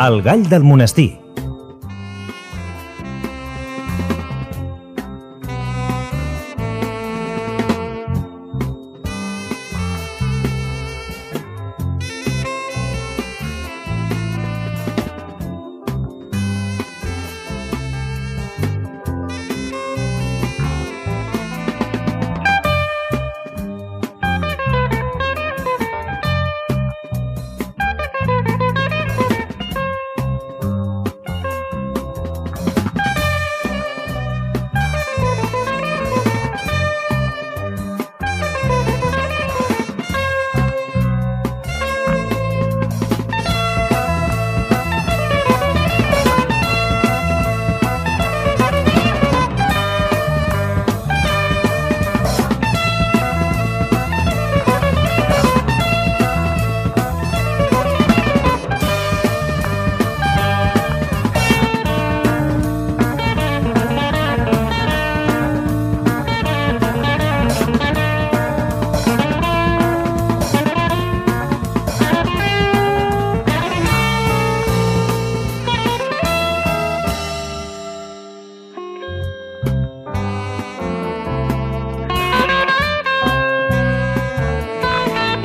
El gall del monestir.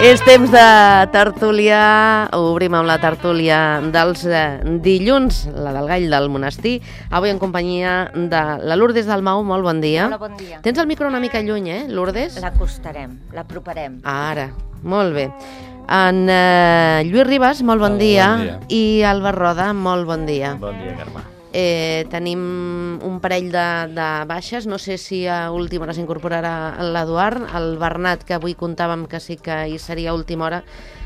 És temps de tertúlia, obrim amb la tertúlia dels dilluns, la del gall del monestir, avui en companyia de la Lourdes Dalmau. Molt bon dia. Hola, bon dia. Tens el micro una mica lluny, Lourdes? L'acostarem, l'aproparem. Ara, molt bé. En Lluís Ribas, molt bon dia. Bon dia. I Alba Roda, molt bon dia. Bon dia, Carme. Tenim un parell de baixes, no sé si a última hora s'incorporarà l'Eduard, el Bernat, que avui comptàvem que sí que hi seria a última hora,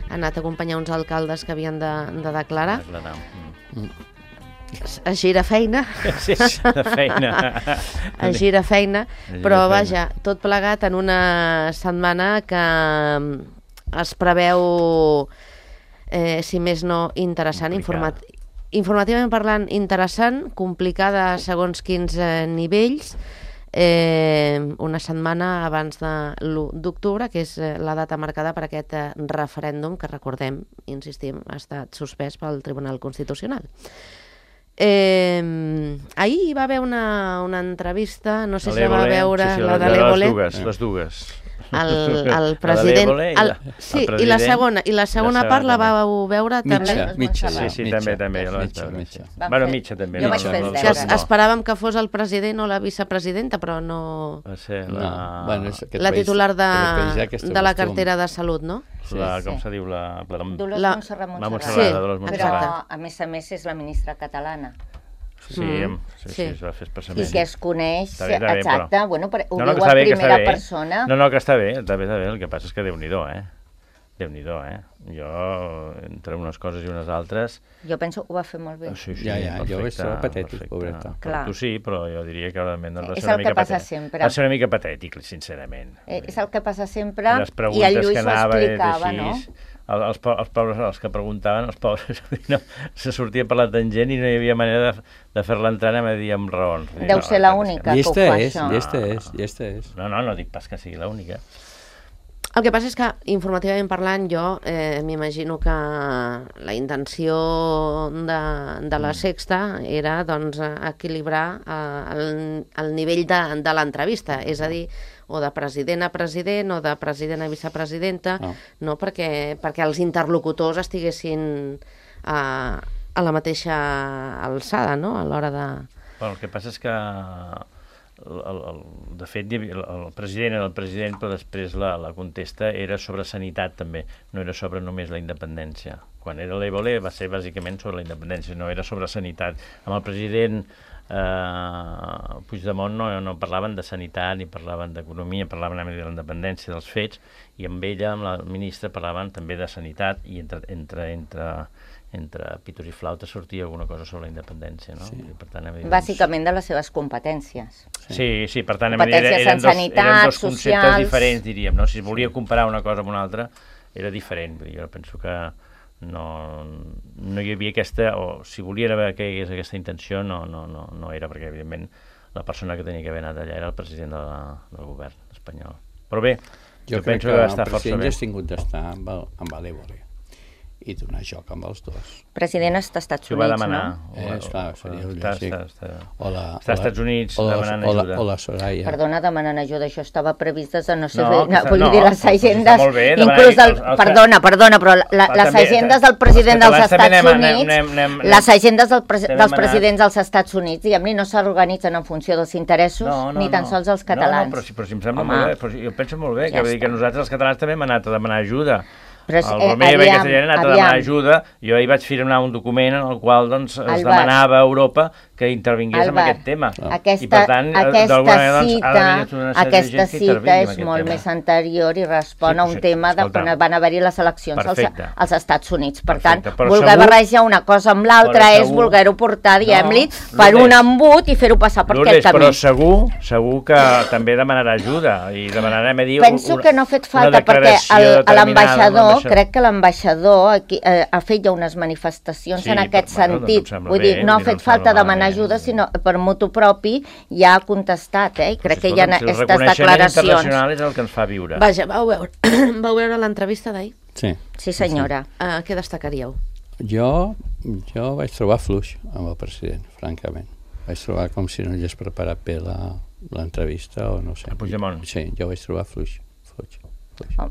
ha anat a acompanyar uns alcaldes que havien de declarar. A gira feina. Sí, de feina. A gira feina, però vaja, tot plegat en una setmana que es preveu, si més no, interessant, informativament parlant, interessant, complicada segons quins nivells, una setmana abans de l'1 d'octubre, que és la data marcada per aquest referèndum que, recordem, insistim, ha estat suspès pel Tribunal Constitucional. Ahir hi va haver una entrevista, no sé si la va veure, la de l'Évole. Les dues. El president... Sí, i la segona part la vau veure també. Mitja. Sí, també. Bueno, mitja també. Esperàvem que fos el president o la vicepresidenta, però no... La titular de la cartera de Salut, no? Com se diu? Dolors Montserrat. Però, a més, és la ministra catalana. Sí, es va fer expressament. I que es coneix, exacte, bueno, ho diu a primera persona. No, que està bé, el que passa és que Déu-n'hi-do, Déu-n'hi-do, Jo, entre unes coses i unes altres... Jo penso que ho va fer molt bé. Sí, jo veig que patètic, pobreta. Tu sí, però jo diria que realment és el que passa sempre. Va ser una mica patètic, sincerament. És el que passa sempre, i el Lluís ho explicava, no? Els pobres, els que preguntaven, els pobres, se sortia per la tangent i no hi havia manera de fer-la entrar a dir amb raons. Deu ser l'única que ho fa, això. Llesta és. No dic pas que sigui l'única. El que passa és que, informativament parlant, jo m'imagino que la intenció de la Sexta era doncs, equilibrar el nivell de l'entrevista, és a dir, o de president a president o de president a vicepresidenta, no? perquè els interlocutors estiguessin a la mateixa alçada, no? A l'hora de... Bueno, el que passa és que de fet el president era el president, però després la contesta era sobre sanitat també, no era sobre només la independència. Quan era l'Évole va ser bàsicament sobre la independència, no era sobre sanitat. Amb el president Puigdemont no parlaven de sanitat ni parlaven d'economia, parlaven de la independència dels fets, i amb ella, amb la ministra, parlaven també de sanitat, i entre pitos i flautes sortia alguna cosa sobre la independència, no? Sí. Per tant, bàsicament de les seves competències. Sí, per tant, competències en sanitat, eren dos conceptes diferents, diríem, no? Si volia comparar una cosa amb una altra, era diferent. Jo penso que no hi havia aquesta, o si volia haver que hi hagués aquesta intenció, no era, perquè evidentment la persona que tenia que haver anat allà era el president del govern espanyol. Però bé, jo penso que el president ja ha tingut d'estar amb l'Évole. i donar joc amb els dos. President està als Estats Units, no? Clar, seria lògic. Està als Estats Units demanant ajuda. O la Soraya. Perdona, demanant ajuda, això estava previst des de no sé bé. Vull dir, les agendes... Inclús perdona, però les agendes del president dels Estats Units, les agendes dels presidents dels Estats Units, diguem-ne, no s'organitzen en funció dels interessos, ni tan sols els catalans. No, però si em sembla molt bé, jo penso molt bé, que nosaltres els catalans també hem anat a demanar ajuda. El Romeva i Castellana han anat a demanar ajuda. Jo ahir vaig firmar un document en el qual es demanava a Europa que intervingués en aquest tema. Aquesta cita és molt més anterior i respon a un tema de quan van haver-hi les eleccions als Estats Units. Per tant, voler barrejar una cosa amb l'altra és voler-ho portar, diguem-li, per un embut i fer-ho passar per aquest camí. Però segur que també demanarà ajuda i demanarem a dir... Penso que no ha fet falta perquè l'ambaixador, crec que l'ambaixador ha fet ja unes manifestacions en aquest sentit. Vull dir, no ha fet falta demanar ajuda, sinó per motu propi ja ha contestat, i crec que hi ha aquestes declaracions. El reconeixement internacional és el que ens fa viure. Vaja, vau veure l'entrevista d'ahir? Sí, senyora. Què destacaríeu? Jo vaig trobar fluix amb el president, francament. Vaig trobar com si no hagués preparat bé l'entrevista o no sé. A Puigdemont? Sí, jo vaig trobar fluix.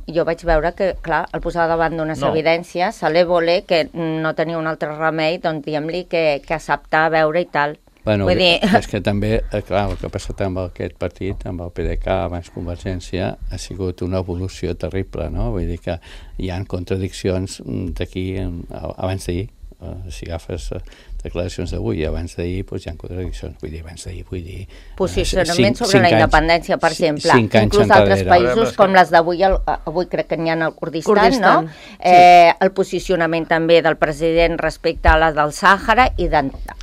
Jo vaig veure que, clar, el posava davant d'unes evidències, a l'Évole, que no tenia un altre remei, doncs diguem-li que acceptar veure i tal. Bueno, és que també, clar, el que ha passat amb aquest partit, amb el PDeCAT, abans Convergència, ha sigut una evolució terrible, no? Vull dir que hi ha contradiccions d'aquí, abans d'ahir, si agafes declaracions d'avui i abans d'ahir, doncs hi ha contradiccions. Vull dir... Posicionament sobre la independència, per exemple. Inclús altres països, com les d'avui, avui crec que n'hi ha al Kurdistan, no? El posicionament també del president respecte a la del Sàhara i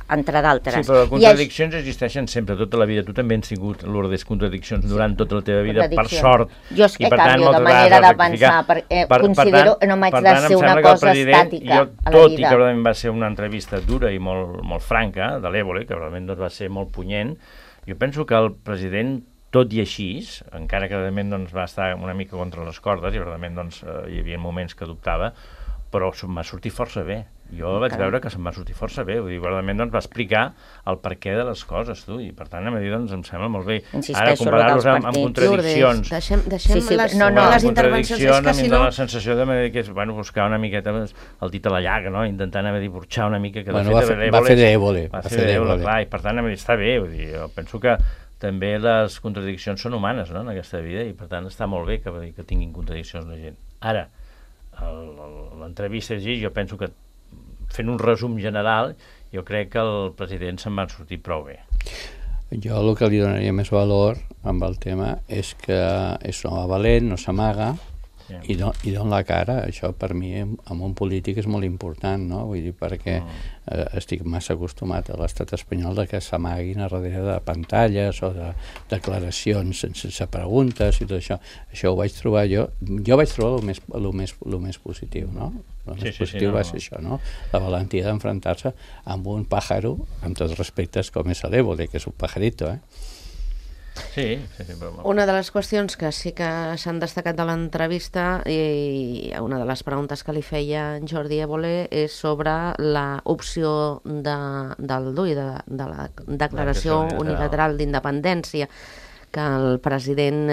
entre d'altres. Sí, però les contradiccions existeixen sempre, tota la vida. Tu també has tingut l'ordre de contradiccions durant tota la teva vida, per sort. Jo és que canvio de manera d'avançar, perquè considero que no m'haig de ser una cosa estàtica a la vida. Tot i que realment va ser una entrevista dura i molt franca, de l'Évole, que realment va ser molt punyent, jo penso que el president, tot i així, encara que realment va estar una mica contra les cordes i realment hi havia moments que dubtava, però m'ha sortit força bé. Jo vaig veure que se'm va sortir força bé, vull dir, realment va explicar el perquè de les coses, tu, i per tant, a mi em sembla molt bé. Ara, comparar-los amb contradiccions. Deixem les intervencions, a mi em dóna la sensació que és buscar una miqueta el dit a la llaga, no? Intentant burxar una mica. Va fer d'Évole. Va fer d'Évole, clar, i per tant, està bé, vull dir, jo penso que també les contradiccions són humanes, no?, en aquesta vida, i per tant està molt bé que tinguin contradiccions la gent. Ara, l'entrevista és així, jo penso que fent un resum general, jo crec que el president se'n va sortir prou bé. Jo el que li donaria més valor amb el tema és que és un home valent, no s'amaga i dona la cara. Això per mi en un polític és molt important, no? Vull dir, perquè estic massa acostumat a l'estat espanyol de que s'amaguin a darrere de pantalles o de declaracions sense preguntes i tot això. Això ho vaig trobar jo vaig trobar el més positiu, no? El més positiu va ser això, no? La valentia d'enfrontar-se amb un pàjaro, amb tots respectes, com és l'Évole, que és un pajarito, Sí. Una de les qüestions que sí que s'han destacat de l'entrevista i una de les preguntes que li feia en Jordi Évole és sobre l'opció del DUI, de la Declaració Unilateral d'Independència, que el president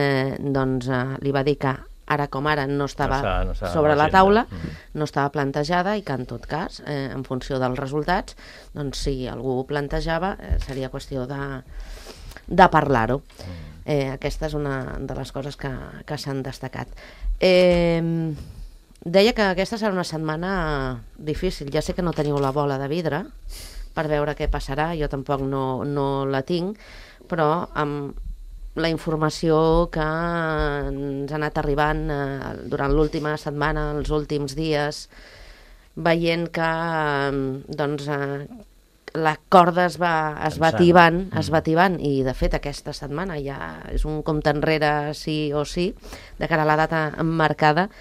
li va dir que ara com ara no estava sobre la taula, no estava plantejada i que en tot cas, en funció dels resultats, doncs si algú ho plantejava seria qüestió de parlar-ho. Aquesta és una de les coses que s'han destacat. Deia que aquesta serà una setmana difícil. Ja sé que no teniu la bola de vidre per veure què passarà, jo tampoc no la tinc, però amb la informació que ens ha anat arribant durant l'última setmana, els últims dies, veient que la corda es va tibant i de fet aquesta setmana ja és un compte enrere sí o sí de cara a la data emmarcada.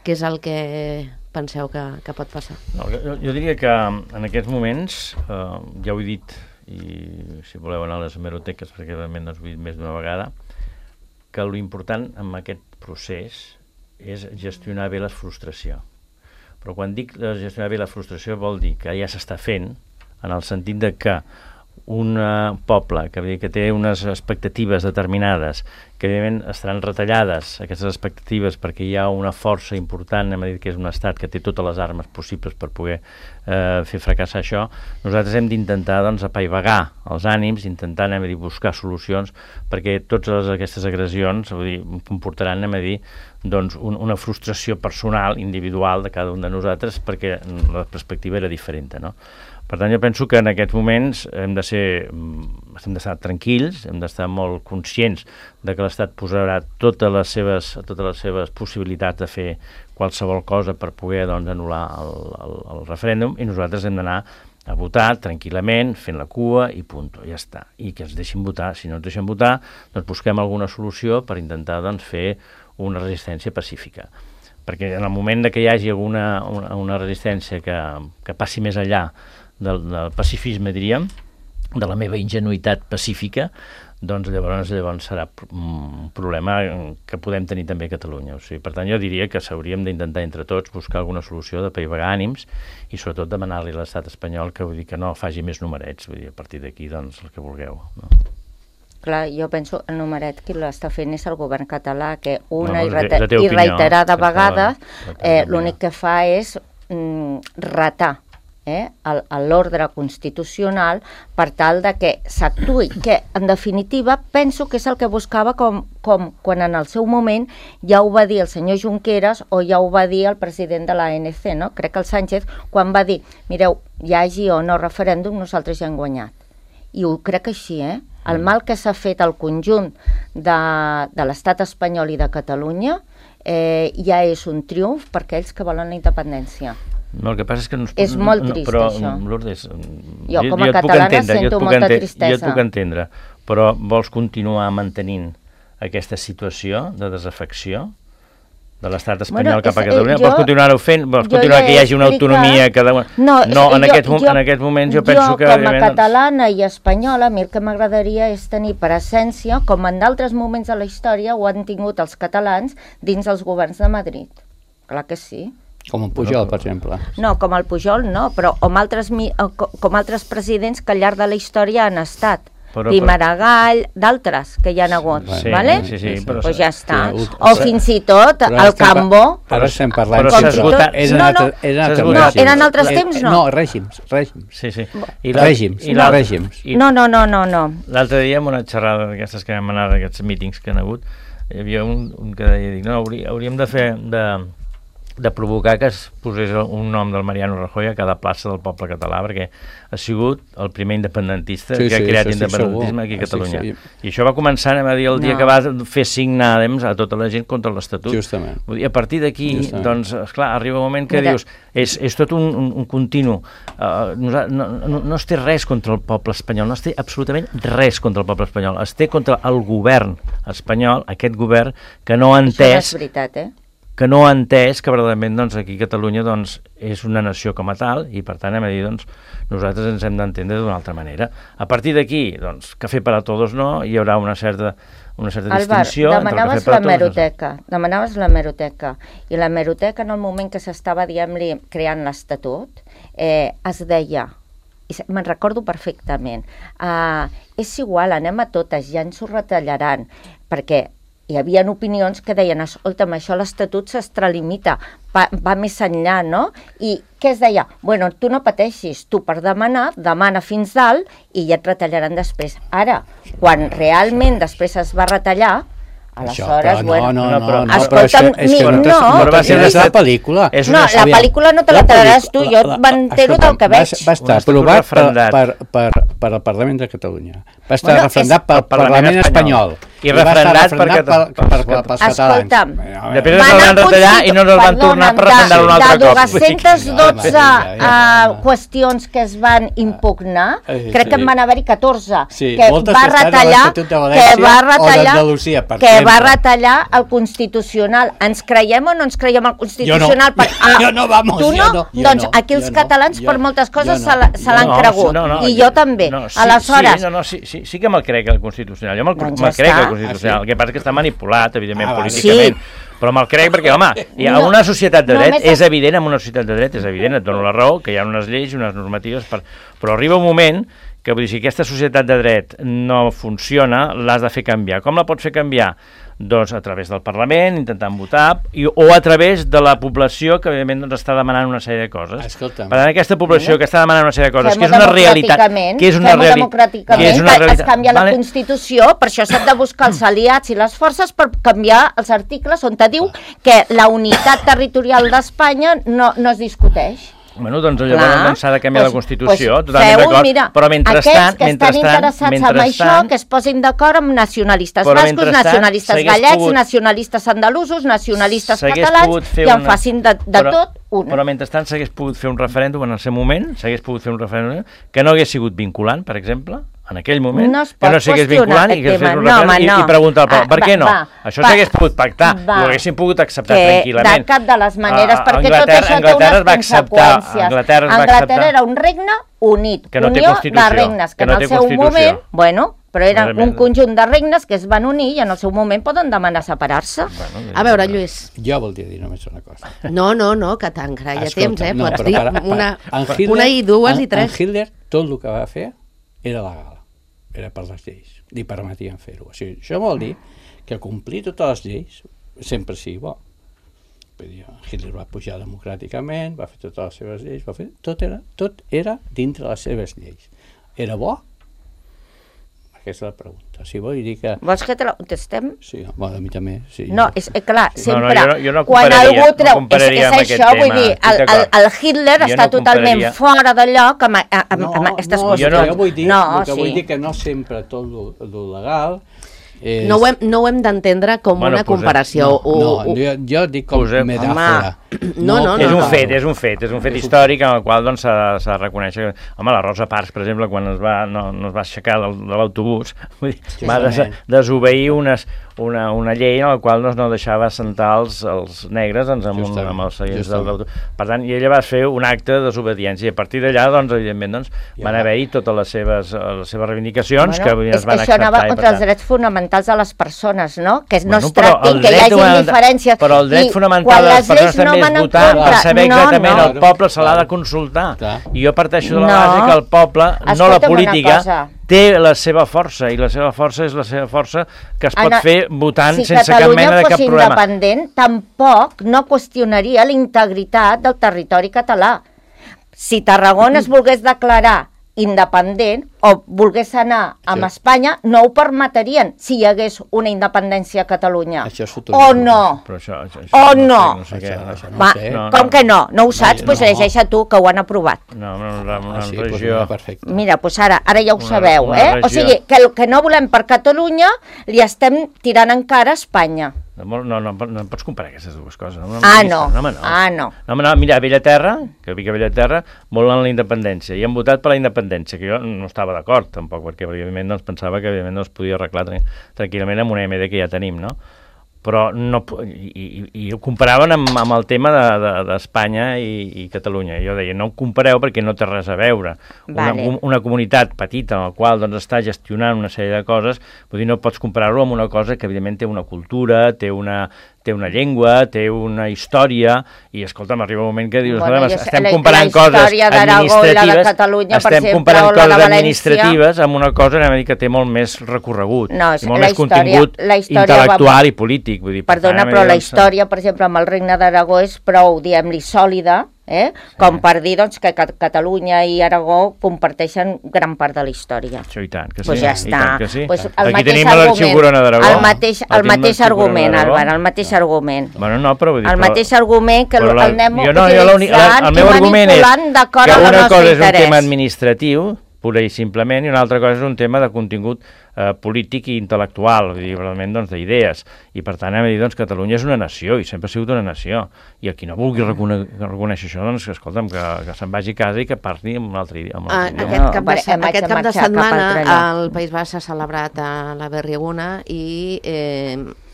Què és el que penseu que pot passar? Jo diria que en aquests moments, ja ho he dit, i si voleu anar a les hemeroteques perquè realment ho he dit més d'una vegada, que l'important en aquest procés és gestionar bé la frustració. Però quan dic gestionar bé la frustració vol dir que ja s'està fent, en el sentit de que un poble que té unes expectatives determinades, que evidentment estaran retallades aquestes expectatives perquè hi ha una força important, hem dit que és un estat que té totes les armes possibles per poder fer fracassar això, nosaltres hem d'intentar apaivagar els ànims, intentar buscar solucions, perquè totes aquestes agressions comportaran una frustració personal, individual de cada un de nosaltres, perquè la perspectiva era diferent, no? Per tant, jo penso que en aquests moments hem d'estar tranquils, hem d'estar molt conscients de que l'Estat posarà totes les seves possibilitats de fer qualsevol cosa per poder anul·lar el referèndum, i nosaltres hem d'anar a votar tranquil·lament, fent la cua i punt, ja està. I que ens deixin votar. Si no ens deixen votar, doncs busquem alguna solució per intentar fer una resistència pacífica. Perquè en el moment que hi hagi una resistència que passi més enllà del pacifisme, diríem, de la meva ingenuïtat pacífica, doncs llavors serà un problema que podem tenir també a Catalunya. O sigui, per tant, jo diria que s'hauríem d'intentar entre tots buscar alguna solució d'apaivagar ànims i sobretot demanar-li a l'estat espanyol que no faci més numerets, a partir d'aquí doncs el que vulgueu, no? Clar, jo penso el numeret qui l'està fent és el govern català, que una i reiterada vegades l'únic que fa és retar l'ordre constitucional per tal de que s'actuï, que en definitiva penso que és el que buscava com quan en el seu moment ja ho va dir el senyor Junqueras o ja ho va dir el president de l'ANC, no? Crec que el Sánchez, quan va dir, mireu, hi hagi o no referèndum, nosaltres ja hem guanyat. I ho crec així, El mal que s'ha fet al conjunt de l'estat espanyol i de Catalunya ja és un triomf per aquells que volen la independència. No, el que passa és que és molt trist, però, això. Lourdes, jo com a catalana sento molta tristesa. Jo et puc entendre, però vols continuar mantenint aquesta situació de desafecció de l'estat espanyol cap a Catalunya? Vols continuar-ho fent? Vols continuar que hi hagi una autonomia? En aquest moment jo penso que... Jo, com a catalana i espanyola, a mi el que m'agradaria és tenir presència, com en d'altres moments de la història ho han tingut els catalans dins els governs de Madrid. Clar que sí. Com el Pujol, per exemple. No, com el Pujol no, però com altres presidents que al llarg de la història han estat. Di Maragall, d'altres que hi ha hagut, vale? Sí, però ja està. O fins i tot el Cambó. Ara estem parlant... Eren altres temps, no? No, règims. Sí. Règims. No. L'altre dia, en una xerrada d'aquestes que vam anar, d'aquests mítings que han hagut, hi havia un que deia, no, hauríem de provocar que es posés un nom del Mariano Rajoy a cada plaça del poble català, perquè ha sigut el primer independentista que ha creat independentisme aquí a Catalunya. I això va començar, a dir, el dia que va fer signar a tota la gent contra l'Estatut. Justament. I a partir d'aquí, doncs, esclar, arriba un moment que dius, és tot un continu. No es té res contra el poble espanyol, no es té absolutament res contra el poble espanyol. Es té contra el govern espanyol, aquest govern que no ha entès... Això no és veritat, que no ha entès que verdaderament aquí a Catalunya és una nació com a tal i per tant nosaltres ens hem d'entendre d'una altra manera. A partir d'aquí, café para todos no, hi haurà una certa distinció entre el café para todos. Demanaves l'hemeroteca i l'hemeroteca en el moment que s'estava creant l'Estatut es deia, i me'n recordo perfectament, és igual, anem a totes, ja ens ho retallaran, perquè hi havia opinions que deien, escolta'm, això l'Estatut s'extralimita, va més enllà, no? I què es deia? Bueno, tu no pateixis, tu per demana fins dalt i ja et retallaran després. Ara, quan realment després es va retallar, aleshores, escolta'm, però és la pel·lícula. No, la pel·lícula no te la trauràs tu, jo m'entero del que veig. Va estar aprovat per el Parlament de Catalunya, va estar refrendat pel Parlament espanyol i refrendat pels catalans. Després es van retallar i no es van tornar per refrendar un altre cop. De 212 qüestions que es van impugnar, crec que en van haver-hi 14, que va retallar el Constitucional. Ens creiem o no ens creiem el Constitucional? Jo no, vamos. Tu no? Doncs aquí els catalans per moltes coses se l'han cregut. I jo també. Aleshores... Sí que me'l crec el Constitucional. Jo me'l crec el Constitucional. El que passa és que està manipulat, evidentment, políticament. Però me'l crec perquè, home, en una societat de dret és evident, et dono la raó, que hi ha unes lleis i unes normatives, però arriba un moment que, vull dir, si aquesta societat de dret no funciona, l'has de fer canviar. Com la pots fer canviar? Doncs a través del Parlament, intentant votar, o a través de la població que, evidentment, està demanant una sèrie de coses. Escolta'm. Per tant, aquesta població que està demanant una sèrie de coses, que és una realitat... Que es canvia la Constitució, per això s'ha de buscar els aliats i les forces per canviar els articles on te diu que la unitat territorial d'Espanya no es discuteix. Bueno, doncs llavors s'ha de canviar la Constitució, totalment d'acord, però mentrestant... Aquests que estan interessats en això, que es posin d'acord amb nacionalistes bascos, nacionalistes gallecs, nacionalistes andalusos, nacionalistes catalans, i en facin de tot una. Però mentrestant s'hagués pogut fer un referèndum en el seu moment, que no hagués sigut vinculant, per exemple, en aquell moment, que no s'hagués vinculant i que es fes un referèndum i preguntar al poble, per què no? Això s'hagués pogut pactar, ho haguessin pogut acceptar tranquil·lament. De cap de les maneres, perquè tot això té unes conseqüències. Anglaterra era un regne unit, unió de regnes, que en el seu moment, però eren un conjunt de regnes que es van unir i en el seu moment poden demanar separar-se. A veure, Lluís. Jo voldria dir només una cosa. No, que t'encara hi ha temps, pots dir una i dues i tres. En Hitler tot el que va fer era legal, era per les lleis, li permetien fer-ho. O sigui, això vol dir que complir totes les lleis sempre sigui bo. Hitler va pujar democràticament, va fer totes les seves lleis, tot era dintre les seves lleis. Era bo? Aquesta és la pregunta. Si vull dir que... Vols que te la contestem? Sí, a mi també. No, és clar, sempre... Jo no compararia amb aquest tema. Vull dir, el Hitler està totalment fora de lloc amb aquestes qüestions. Jo vull dir que no sempre tot el legal... No ho hem d'entendre com una comparació. Jo dic com metàfora. És un fet històric en el qual s'ha de reconèixer. Home, la Rosa Parks, per exemple, quan no es va aixecar de l'autobús, va desobeir una llei en la qual no deixava assentar els negres amb els seients de l'autobús. Per tant, ella va fer un acte de desobediència i a partir d'allà, evidentment, van haver-hi totes les seves reivindicacions que es van acceptar. Això anava contra els drets fonamentals de les persones, no? Que no es tractin, que hi hagi diferències. Però el dret fonamental de les persones també és votar per saber exactament el poble se l'ha de consultar. I jo parteixo de la base que el poble, no la política, té la seva força, i la seva força és la seva força que es pot fer votant sense cap mena de cap problema. Si Catalunya fos independent, tampoc no qüestionaria la integritat del territori català. Si Tarragona es volgués declarar independent o volgués anar amb Espanya, no ho permetrien si hi hagués una independència a Catalunya. O no? O no? Com que no? No ho saps? Doncs llegeix tu, que ho han aprovat. Mira, doncs ara ja ho sabeu, O sigui, que el que no volem per Catalunya li estem tirant encara a Espanya. No pots comparar aquestes dues coses. No. Mira, a Bellaterra, que vic a Bellaterra, volen la independència, i han votat per la independència, que jo no estava d'acord, tampoc, perquè evidentment pensava que es podia arreglar tranquil·lament amb una MD que ja tenim, no? Però no, i ho comparaven amb el tema d'Espanya i Catalunya. Jo deia, no ho compareu perquè no té res a veure. Una comunitat petita en la qual està gestionant una sèrie de coses, vull dir, no pots comparar-ho amb una cosa que evidentment té una cultura, té una llengua, té una història, i escolta'm, arriba un moment que dius, estem comparant coses administratives amb una cosa que té molt més recorregut, molt més contingut intel·lectual i polític. Perdona, però la història, per exemple, amb el Regne d'Aragó és prou, diguem-li, sòlida, com per dir que Catalunya i Aragó comparteixen gran part de la història. Això i tant, que sí. Doncs ja està. Aquí tenim l'Arxiu Corona d'Aragó. El mateix argument, Álvaro, el mateix argument. Bueno, no, però vull dir... El mateix argument que el anem utilitzant i manipulant d'acord amb el nostre interès. Una cosa és un tema administratiu, pura i simplement, i una altra cosa és un tema de contingut polític i intel·lectual, realment d'idees, i per tant hem de dir que Catalunya és una nació, i sempre ha sigut una nació, i el qui no vulgui reconèixer això, doncs escolta'm, que se'n vagi a casa i que parli amb un altre idioma. Aquest cap de setmana al País Basc s'ha celebrat a la Berriaguna i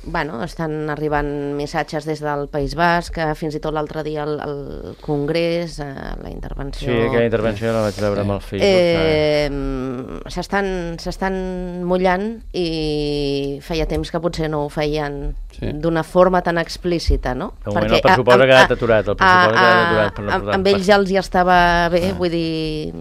estan arribant missatges des del País Basc, fins i tot l'altre dia al Congrés, la intervenció... Sí, aquella intervenció la vaig veure amb el Facebook. S'estan mullant i feia temps que potser no ho feien d'una forma tan explícita, no? De moment el pressupost ha quedat aturat, amb ells ja els hi estava bé, vull dir...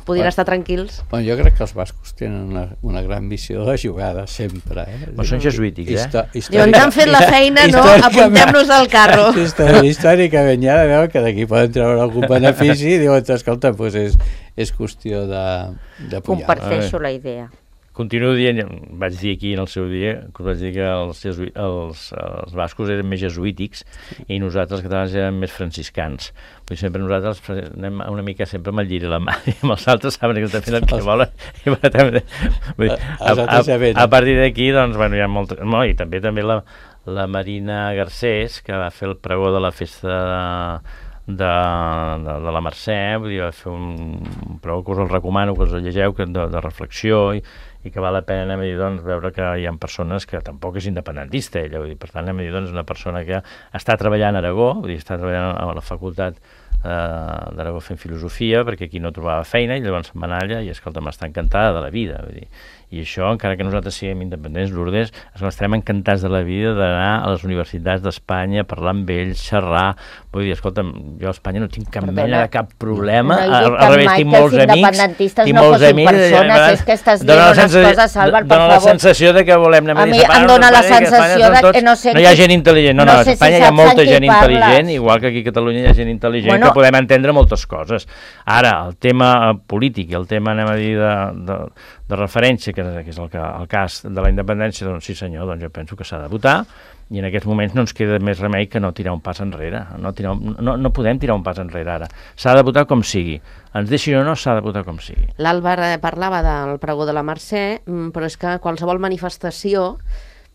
podien estar tranquils. Bueno, jo crec que els bascos tenen una gran visió de la jugada, sempre. Però són jesuítics, Diuen, t'han fet la feina, no? Apuntem-nos al carro. Històricament ja veuen que d'aquí poden treure algun benefici i diuen, escolta, doncs és qüestió de pujar. Comparteixo la idea. Continuo dient, vaig dir aquí en el seu dia, que vaig dir que els bascos eren més jesuítics i nosaltres els catalans eren més franciscans. Vull dir, sempre nosaltres anem una mica sempre amb el lliri a la mà i amb els altres saben que estan fent el que volen. A partir d'aquí, doncs, bueno, hi ha molta... No, i també la Marina Garcés, que va fer el pregó de la festa de la Mercè, vull dir, va fer un pregó que us el recomano, que us el llegeu, de reflexió i que val la pena anem a dir, doncs, veure que hi ha persones que tampoc és independentista ella, vull dir, per tant anem a dir, doncs, una persona que està treballant a Aragó, vull dir, està treballant a la facultat d'Aragó fent filosofia, perquè aquí no trobava feina i llavors se'n va anar allà i, escolta, m'està encantada de la vida, vull dir, i això, encara que nosaltres siguem independents, Lourdes, estarem encantats de la vida d'anar a les universitats d'Espanya, parlar amb ells, xerrar, vull dir, escolta, jo a Espanya no tinc cap mena de cap problema, al revés, tinc molts amics, tinc molts amics, és que estàs dient unes coses, Álvar, per favor. Dóna la sensació de que volem anar a mi em dóna la sensació de que no sé... No hi ha gent intel·ligent, no, a Espanya hi ha molta gent intel·ligent, igual que aquí a Catalunya hi ha gent intel·ligent que podem entendre moltes coses. Ara, el tema polític i el tema, anem a dir, de referència, que és el cas de la independència, doncs sí senyor, doncs jo penso que s'ha de votar i en aquests moments no ens queda més remei que no tirar un pas enrere. No podem tirar un pas enrere ara. S'ha de votar com sigui. Ens deixin o no, s'ha de votar com sigui. L'Àlvar parlava del pregó de la Mercè, però és que qualsevol manifestació,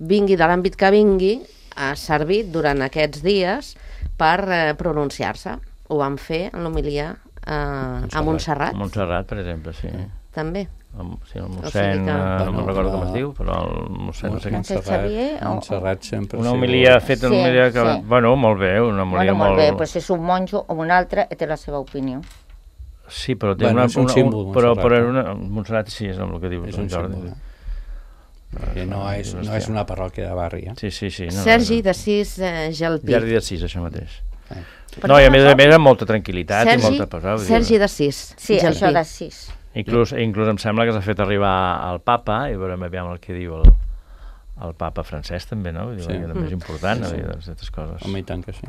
vingui de l'àmbit que vingui, ha servit durant aquests dies per pronunciar-se. Ho van fer en l'homilia a Montserrat. A Montserrat, per exemple, sí. També. Sí, el mossèn, no me'n recordo com es diu, però el mossèn no sé què. Montserrat sempre... Una homilia feta, una homilia que... Bueno, molt bé, una homilia molt... Molt bé, però si és un monjo o un altre, té la seva opinió. Sí, però té una... És un símbol, Montserrat. Montserrat sí, és el que diu en Jordi. No és una parròquia de barri, Sí. Sergi d'Assís Gelpi. Sergi d'Assís, això mateix. No, i a més amb molta tranquil·litat i molta pausa. Sergi d'Assís. Sí, això d'Assís. Inclús em sembla que s'ha fet arribar al papa, i veurem aviam el que diu el papa francès també, no? Vull dir, que també és important, aquestes coses. Home, i tant que sí.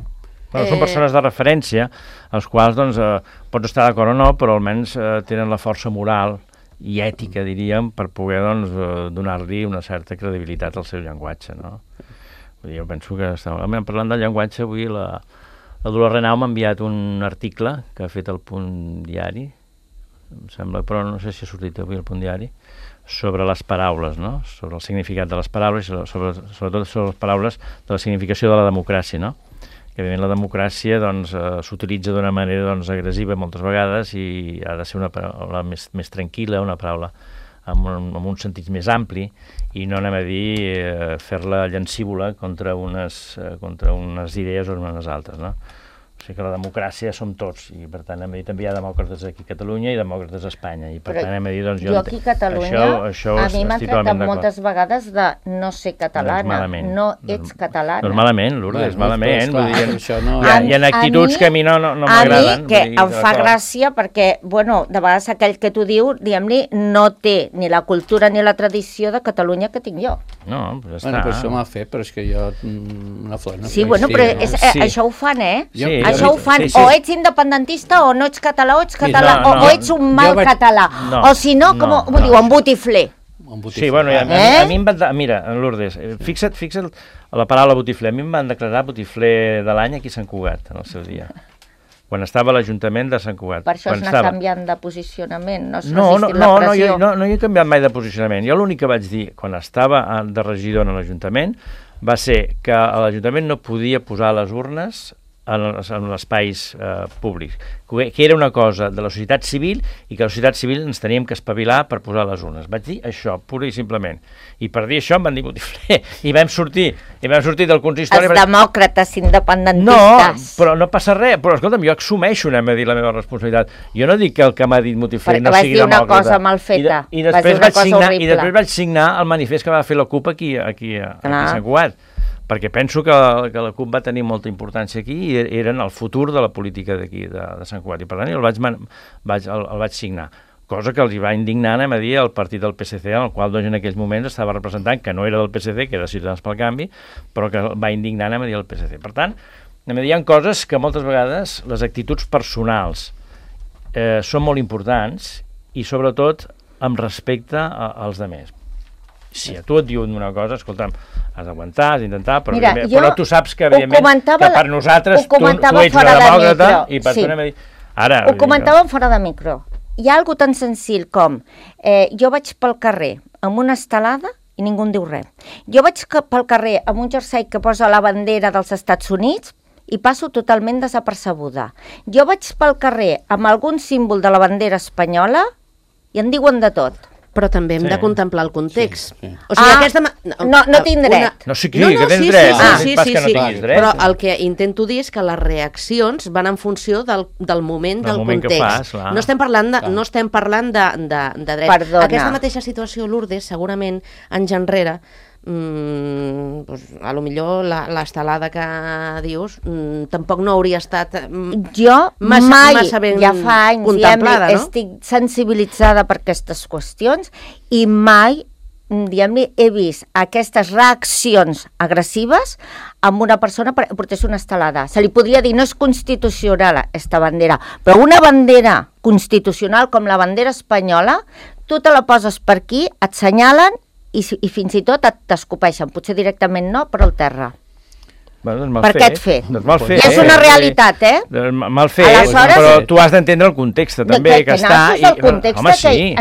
Són persones de referència, als quals doncs, pots estar d'acord o no, però almenys tenen la força moral i ètica, diríem, per poder doncs, donar-li una certa credibilitat al seu llenguatge, no? Vull dir, jo penso que... Parlant del llenguatge, avui la Dolors Renau m'ha enviat un article que ha fet el Punt Diari, em sembla, però no sé si ha sortit avui el Punt Diari, sobre les paraules, no? Sobre el significat de les paraules, sobretot sobre les paraules de la significació de la democràcia, no? Que evidentment la democràcia doncs, s'utilitza d'una manera doncs, agressiva moltes vegades i ha de ser una paraula més tranquil·la, una paraula amb un sentit més ampli i no anem a dir fer-la llancívola contra unes idees o unes altres, no? O sigui que la democràcia som tots i per tant també hi ha demòcrates aquí a Catalunya i demòcrates a Espanya i per tant anem a dir doncs jo aquí a Catalunya a mi m'ha tractat moltes vegades de no ser catalana, no ets catalana. No és malament, Lourdes, és malament. Hi ha actituds que a mi no m'agraden. A mi que em fa gràcia perquè, bueno, de vegades aquell que t'ho diu, diguem-li, no té ni la cultura ni la tradició de Catalunya que tinc jo. No, però ja està. Bueno, però això m'ha fet, però és que jo una flor no sí, bueno, però això ho fan, Sí. Això ho fan, o ets independentista o no ets català, o ets català, o ets un mal català, o si no, com ho diu, en botifler. Sí, bueno, a mi em van... Mira, Lourdes, fixa't la paraula botifler. A mi em van declarar botifler de l'any aquí a Sant Cugat, en el seu dia. Quan estava a l'Ajuntament de Sant Cugat. Per això anar canviant de posicionament, no resistir la pressió. No he canviat mai de posicionament. Jo l'únic que vaig dir, quan estava de regidor en l'Ajuntament, va ser que l'Ajuntament no podia posar les urnes en els espais públics, que era una cosa de la societat civil i que la societat civil ens teníem que espavilar per posar les urnes. Vaig dir això, pura i simplement. I per dir això em van dir botifler. I vam sortir del consistori... Els demòcrates independentistes. No, però no passa res. Però escolta'm, jo assumeixo, anem a dir, la meva responsabilitat. Jo no dic que el que m'ha dit botifler no sigui demòcrata. Perquè vas dir una cosa mal feta. I després vaig signar el manifest que va fer la CUP aquí a Sant Cugat, perquè penso que la CUP va tenir molta importància aquí i eren el futur de la política d'aquí, de Sant Cugat, i per tant el vaig signar, cosa que els hi va indignar, anem a dir, el partit del PSC, en el qual doncs, en aquells moments estava representant, que no era del PSC, que era Ciutadans pel Canvi, però que va indignar, anem a dir, el PSC. Per tant, anem a dir, hi ha coses que moltes vegades les actituds personals són molt importants i sobretot amb respecte als altres. Si a tu et diuen una cosa, escolta'm, has d'aguantar, has d'intentar, però tu saps que, evidentment, que per nosaltres tu ets una demòcrata i per tu anem a dir... Ho comentàvem fora de micro. Hi ha algo tan senzill com jo vaig pel carrer amb una estelada i ningú en diu res. Jo vaig pel carrer amb un jersei que posa la bandera dels Estats Units i passo totalment desapercebuda. Jo vaig pel carrer amb algun símbol de la bandera espanyola i en diuen de tot. Però també hem de contemplar el context. O sigui, no tinc dret. Sí, que tens dret. Sí. Però el que intento dir és que les reaccions van en funció del moment, del context. No estem parlant de dret. Perdona. Aquesta mateixa situació, Lourdes, segurament, anys enrere, a lo millor l'estelada que dius tampoc no hauria estat massa ben ja fa anys, contemplada, no? Estic sensibilitzada per aquestes qüestions i mai he vist aquestes reaccions agressives amb una persona que portés una estelada. Se li podria dir, no és constitucional aquesta bandera, però una bandera constitucional com la bandera espanyola, tu te la poses per aquí, et senyalen i fins i tot t'escopeixen, potser directament no, però al terra. Per què et fet? I és una realitat, Mal fet, però tu has d'entendre el context també, que està...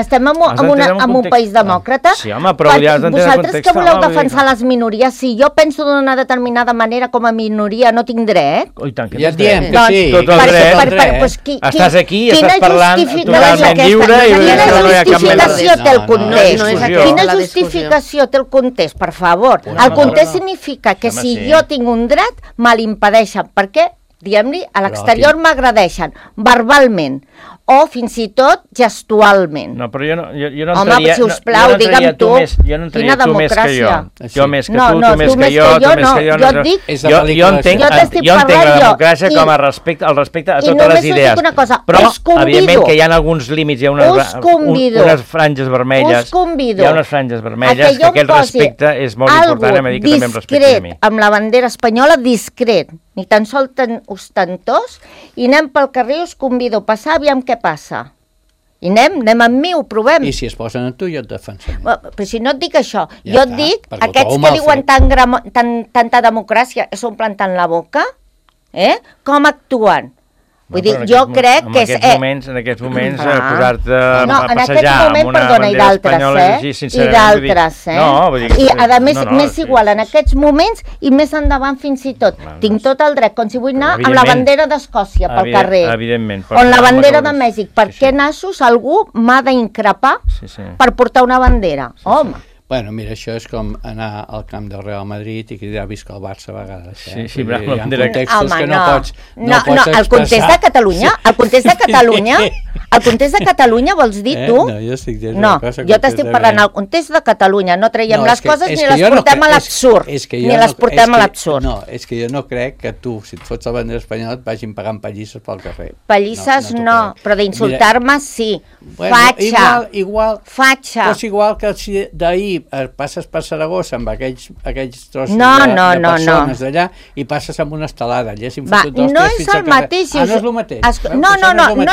Estem en un país demòcrata. Sí, home, però ja has d'entendre el context. Vosaltres que voleu defensar les minories, si jo penso d'una determinada manera com a minoria no tinc dret... I tant que ja et diem que sí. Tot el dret. Estàs aquí, estàs parlant totalment lliure i no hi ha cap mena de... Quina justificació té el context? Quina justificació té el context, per favor? El context significa que si jo tinc un dret, me l'impedeixen, perquè, diguem-li, a l'exterior m'agredeixen verbalment o fins i tot gestualment. No, però jo no entraria... Home, sisplau, digue'm tu, quina democràcia. Jo més que tu més que jo, tu més que jo... Jo et dic... Jo entenc la democràcia com a respecte a totes les idees. Però, evidentment, que hi ha alguns límits, hi ha unes franges vermelles, hi ha unes franges vermelles, que aquest respecte és molt important, a dir que també em respecti a mi. Amb la bandera espanyola, discret, ni tan sols ostentós, i anem pel carrer i us convido a passar, aviam què passa. I anem amb mi, ho provem. I si es posen amb tu, jo et defensaré. Però si no et dic això, jo et dic, aquests que diuen tanta democràcia, s'omplen tant la boca, com actuen? Vull dir, jo crec que és... En aquests moments, posar-te a passejar amb una bandera espanyola... I d'altres, I, a més, més igual, en aquests moments i més endavant fins i tot. Tinc tot el dret, com si vull anar amb la bandera d'Escòcia pel carrer. Evidentment. O amb la bandera de Mèxic. Per què nassos algú m'ha d'increpar per portar una bandera? Home... Bueno, mira, això és com anar al camp del Real Madrid i cridar visca el Barça a vegades. Sí, però hi ha contextos que no pots expressar. El context de Catalunya, el context de Catalunya vols dir tu? No, jo estic dient una cosa. Jo t'estic parlant al context de Catalunya, no traiem les coses ni les portem a l'absurd. Ni les portem a l'absurd. No, és que jo no crec que tu, si et fots la bandera espanyola, et vagin pagant pallisses pel carrer. Pallisses no, però d'insultar-me sí. Fatxa. Igual, fatxa. És igual que si d'ahir passes per Saragossa amb aquells trossos de persones d'allà i passes amb una estelada. No és el mateix. No és el mateix. No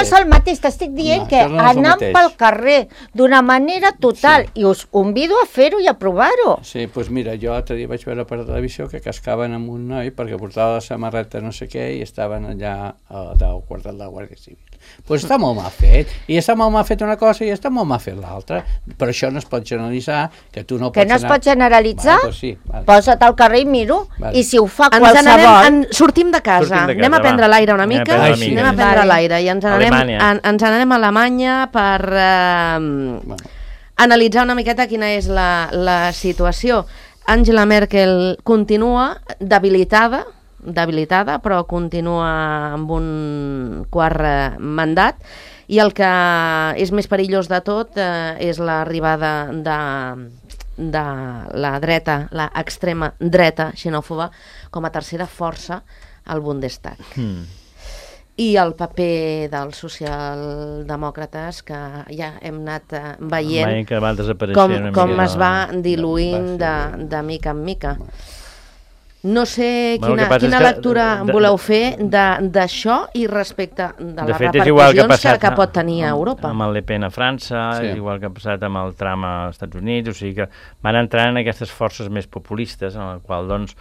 és el mateix. T'estic dient que anant pel carrer d'una manera total i us convido a fer-ho i a provar-ho. Sí, doncs mira, jo l'altre dia vaig veure per televisió que cascaven amb un noi perquè portava la samarreta no sé què i estaven allà al quartel de la Guàrdia Civil. Doncs està molt mal fet. I està molt mal fet una cosa i està molt mal fet l'altra. Per això no es pot generalitzar que no es pot generalitzar, posa't al carrer i miro, i si ho fa qualsevol... Sortim de casa, anem a prendre l'aire una mica, anem a prendre l'aire, i ens n'anem a Alemanya per analitzar una miqueta quina és la situació. Angela Merkel continua debilitada, però continua amb un quart mandat, i el que és més perillós de tot és l'arribada de la dreta, l'extrema dreta xenòfoba, com a tercera força al Bundestag. I el paper dels socialdemòcrates, que ja hem anat veient com es va diluint de mica en mica. No sé quina lectura voleu fer d'això i respecte de les repercussions que pot tenir a Europa. Amb el Le Pen a França, igual que ha passat amb el Trump als Estats Units, o sigui que van entrant en aquestes forces més populistes, en les quals doncs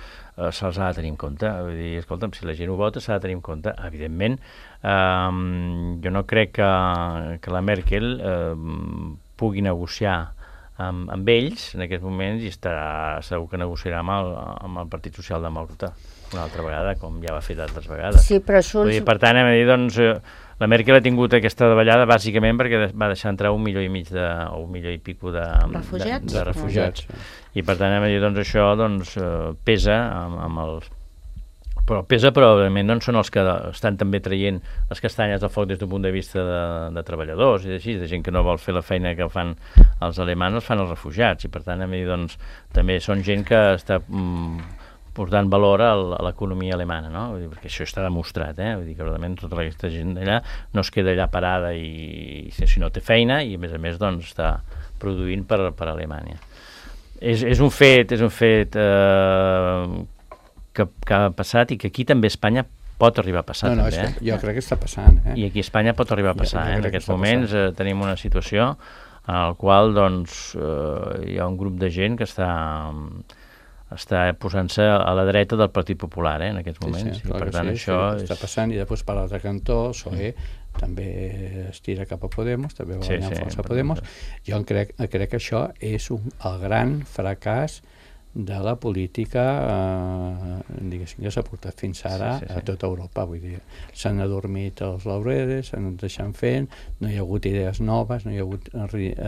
se'ls ha de tenir en compte. Vull dir, escolta'm, si la gent ho vota s'ha de tenir en compte, evidentment. Jo no crec que la Merkel pugui negociar amb ells en aquests moments, i segur que negociarà amb el Partit Socialdemòcrata una altra vegada, com ja va fer d'altres vegades. Sí, però Schulz... Per tant, hem de dir, doncs, la Merkel ha tingut aquesta davallada bàsicament perquè va deixar entrar 1,5 milió o 1 milió i pico de refugiats. I per tant, hem de dir, doncs, això pesa amb els... Però pesa, però evidentment no són els que estan també traient les castanyes del foc des d'un punt de vista de treballadors i així, de gent que no vol fer la feina que fan els alemans, els fan els refugiats, i per tant, doncs, també són gent que està portant valor a l'economia alemana, no? Vull dir, perquè això està demostrat, Vull dir que realment tota aquesta gent d'allà no es queda allà parada sinó té feina, i a més doncs està produint per Alemanya. És un fet que ha passat, i que aquí també a Espanya pot arribar a passar. Jo crec que està passant. I aquí a Espanya pot arribar a passar. En aquests moments tenim una situació en la qual hi ha un grup de gent que està posant-se a la dreta del Partit Popular en aquests moments. I per tant això està passant, i després per l'altre cantó el PSOE també es tira cap a Podemos, també va guanyar força a Podemos. Jo crec que això és el gran fracàs de la política diguéssim que s'ha portat fins ara a tota Europa. Vull dir, s'han adormit els laureles, s'han deixat fent, no hi ha hagut idees noves, no hi ha hagut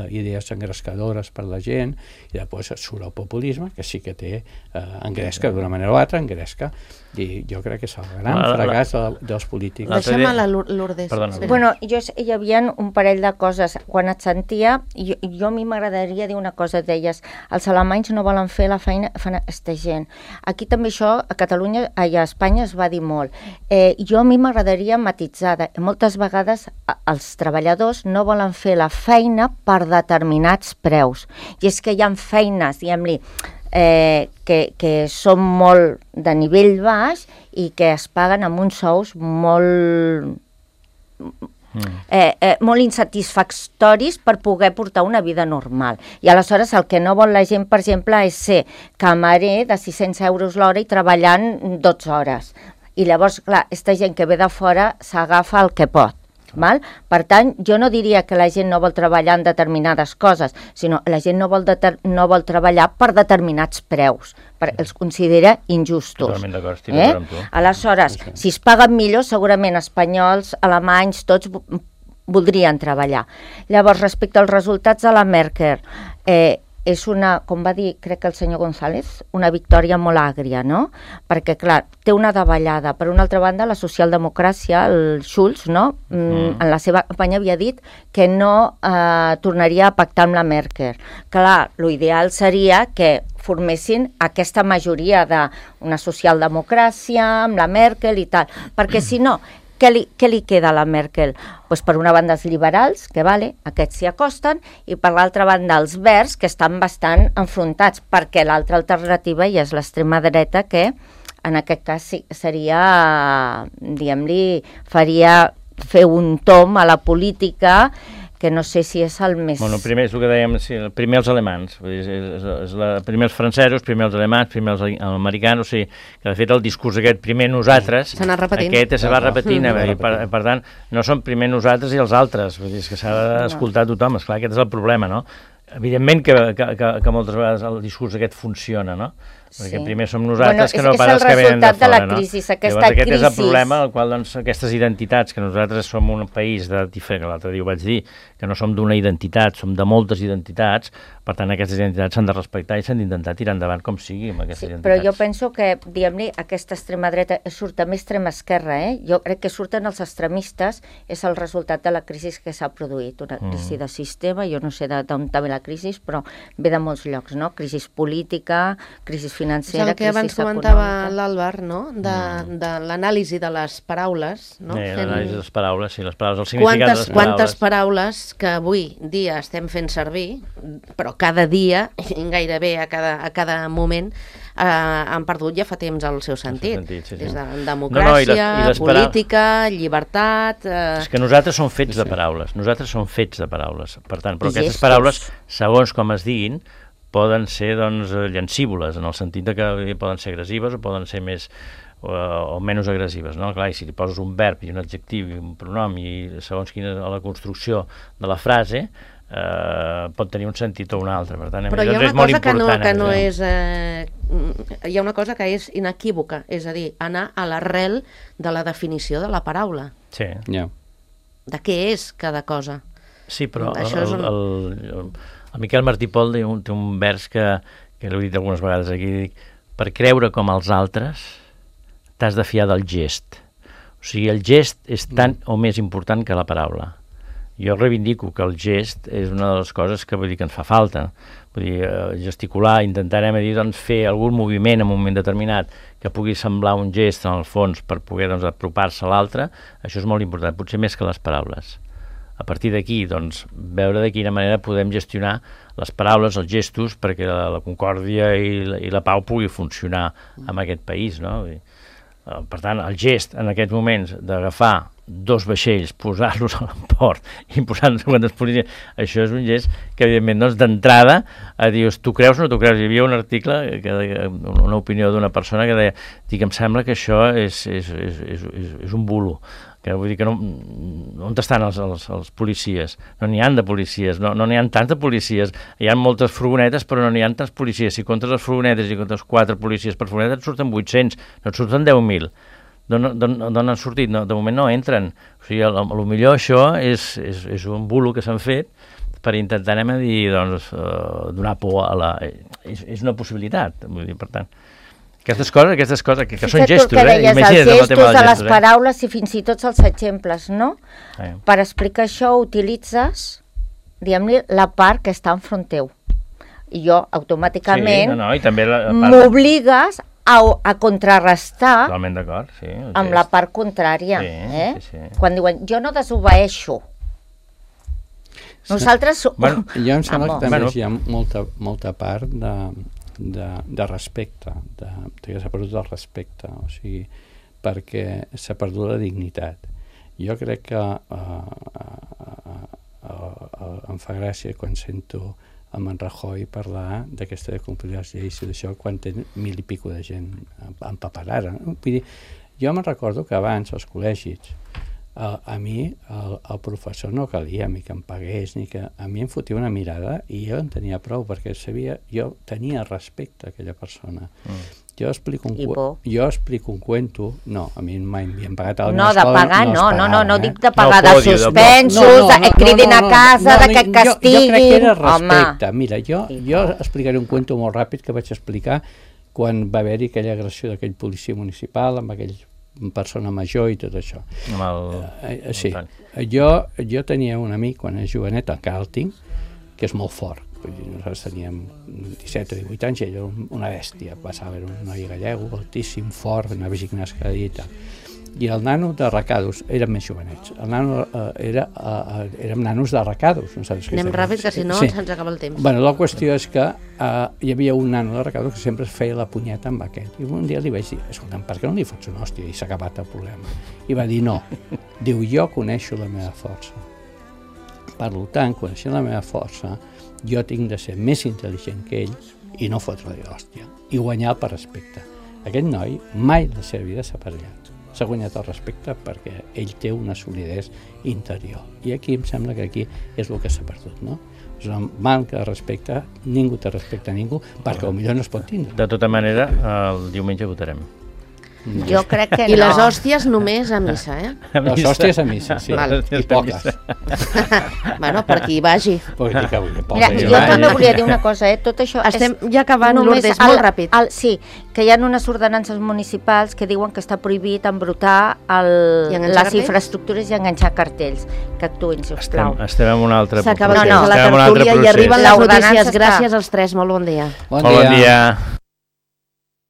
idees engrescadores per la gent, i després surt el populisme, que sí que té engresca d'una manera o altra, engresca, i jo crec que és el gran fracàs dels polítics. Deixem a la Lourdes. Bueno, hi havia un parell de coses. Quan et sentia, jo a mi m'agradaria dir una cosa, deies, els alemanys no volen fer la feina, fan aquesta gent. Aquí també això, a Catalunya, a Espanya es va dir molt. Jo a mi m'agradaria matitzar, moltes vegades els treballadors no volen fer la feina per determinats preus. I és que hi ha feines, diguem-li, que són molt de nivell baix i que es paguen amb uns sous molt insatisfactoris per poder portar una vida normal. I aleshores el que no vol la gent, per exemple, és ser camarer de 600 euros l'hora i treballant 12 hores. I llavors, clar, aquesta gent que ve de fora s'agafa el que pot. Val? Per tant, jo no diria que la gent no vol treballar en determinades coses, sinó la gent no vol treballar per determinats preus, perquè els considera injustos. Totalment d'acord, estic d'acord amb tu. Aleshores, si es paguen millor, segurament espanyols, alemanys, tots voldrien treballar. Llavors, respecte als resultats de la Merkel, és una, com va dir, crec que el senyor González, una victòria molt àgria, no? Perquè, clar, té una davallada. Per una altra banda, la socialdemocràcia, el Schulz, no? En la seva campanya havia dit que no tornaria a pactar amb la Merkel. Clar, l'ideal seria que formessin aquesta majoria d'una socialdemocràcia amb la Merkel i tal, perquè si no, què li queda a la Merkel? Pues per una banda els liberals, que aquests s'hi acosten, i per l'altra banda els verds, que estan bastant enfrontats, perquè l'altra alternativa ja és l'extrema dreta, que en aquest cas seria, diguem-li, faria fer un tom a la política que no sé si és el més... Bueno, primer és el que dèiem, primer els alemans, primer els francesos, primer els alemans, primer els americans, o sigui, que de fet el discurs aquest, primer nosaltres, aquest se va repetint, i per tant, no són primer nosaltres i els altres, vull dir, és que s'ha d'escoltar tothom, esclar, aquest és el problema, no? Evidentment que moltes vegades el discurs aquest funciona, no? Perquè primer som nosaltres que no pas els que venen de fora, no? Llavors aquest és el problema, el qual aquestes identitats, que nosaltres som un país diferent, que l'altre dia ho vaig dir, que no som d'una identitat, som de moltes identitats, per tant aquestes identitats s'han de respectar i s'han d'intentar tirar endavant com sigui amb aquestes identitats. Però jo penso que, diguem-ne, aquesta extrema dreta surt també extrema esquerra, Jo crec que surten els extremistes, és el resultat de la crisi que s'ha produït, una crisi de sistema, jo no sé d'on ve la crisi, però ve de molts llocs, no? Crisi política, crisi financera, és el que abans comentava l'Àlvar, no? De l'anàlisi de les paraules, no? L'anàlisi de les paraules, sí, les paraules, el significat de les paraules. Quantes paraules que avui dia estem fent servir, però cada dia, gairebé a cada moment, han perdut ja fa temps el seu sentit. Des de democràcia, política, llibertat... És que nosaltres som fets de paraules, per tant, però aquestes paraules, segons com es diguin, poden ser, doncs, llancívoles, en el sentit que poden ser agressives o poden ser més o menys agressives, no? Clar, i si li poses un verb i un adjectiu i un pronom i segons quina la construcció de la frase, pot tenir un sentit o un altre, per tant, però hi ha una cosa que no és... Hi ha una cosa que és inequívoca, és a dir, anar a l'arrel de la definició de la paraula. Sí. De què és cada cosa. Sí, però el Miquel Martí Pol té un vers que l'he dit algunes vegades aquí, dic, per creure com els altres t'has de fiar del gest. O sigui, el gest és tan o més important que la paraula. Jo reivindico que el gest és una de les coses que vull dir que ens fa falta. Vull dir, gesticular, intentarem doncs, fer algun moviment en un moment determinat que pugui semblar un gest en el fons per poder doncs, apropar-se a l'altre, això és molt important, potser més que les paraules. A partir d'aquí, doncs, veure de quina manera podem gestionar les paraules, els gestos, perquè la concòrdia i la pau pugui funcionar en aquest país, no? Per tant, el gest en aquests moments d'agafar 2 vaixells, posar-los a l'emport i posar-nos quantes policies, això és un gest que, evidentment, doncs, d'entrada, dius, tu creus o no tu creus? Hi havia un article, una opinió d'una persona que deia, em sembla que això és un bulo, que vull dir que on estan els policies? No n'hi ha de policies, no n'hi ha tants de policies, hi ha moltes furgonetes però no n'hi ha tants policies, si comptes les furgonetes i comptes 4 policies per furgoneta et surten 800, no et surten 10.000. D'on han sortit? No, de moment no entren. O sigui, potser això és un bulo que s'han fet per intentar, doncs, donar por a la... És una possibilitat, vull dir, per tant. Aquestes coses que són gestos, imagina't els gestos de les paraules i fins i tot els exemples, no? Per explicar això utilitzes, diguem-li, la part que està enfront teu. I jo, automàticament, m'obligues a contrarrestar amb la part contrària. Quan diuen, jo no desobeeixo. Nosaltres... Jo em sembla que també hi ha molta part de respecte, que s'ha perdut el respecte, o sigui, perquè s'ha perdut la dignitat. Jo crec que em fa gràcia quan sento amb en Rajoy parlar d'aquesta de complir les lleis i d'això quan té 1.000 i pico de gent empaperada. Vull dir, jo me'n recordo que abans als col·legis a mi el professor no calia ni que em pagués, ni que a mi em fotia una mirada i jo en tenia prou perquè jo tenia respecte a aquella persona. Jo explico un cuento, no, a mi mai m'havien pagat a la meva escola. No, de pagar, no dic de pagar, de suspensos, et cridin a casa, que et castiguin. Jo crec que era respecte. Mira, jo explicaré un cuento molt ràpid que vaig explicar quan va haver-hi aquella agressió d'aquell policia municipal amb aquell persona major i tot això. Sí. Jo tenia un amic quan era jovenet, encara el tinc, que és molt fort. Nosaltres teníem 17 o 18 anys i ell era una bèstia. Passava, era un noi gallego, altíssim, fort, anava a gimnàs cada dia i tal. I el nano de Recados, érem més jovenets. El nano érem nanos de Recados. Anem ràpid, que si no se'ns acaba el temps. Bueno, la qüestió és que hi havia un nano de Recados que sempre feia la punyeta amb aquest. I un dia li vaig dir, escolta'm, per què no li fots una hòstia? I s'ha acabat el problema. I va dir, no. Diu, jo coneixo la meva força. Per tant, coneixent la meva força, jo tinc de ser més intel·ligent que ell i no fotre-li l'hòstia. I guanyar per respecte. Aquest noi mai la seva vida s'ha parellat. S'ha guanyat el respecte perquè ell té una solidesa interior. I aquí em sembla que aquí és el que s'ha perdut, no? És una manca de respecte, ningú te respecta a ningú, perquè potser no es pot tindre. De tota manera, el diumenge votarem. Jo crec que no. I les hòsties només a missa, Les hòsties a missa, sí. I poques. Bueno, per qui vagi. Mira, jo també volia dir una cosa, tot això... Estem ja acabant, Lourdes, molt ràpid. Sí, que hi ha unes ordenances municipals que diuen que està prohibit embrutar les infraestructures i enganxar cartells. Que actuïn, sisplau. Estem en un altre procés. S'acaba la tertúlia i arriben les notícies. Gràcies als tres, molt bon dia. Bon dia.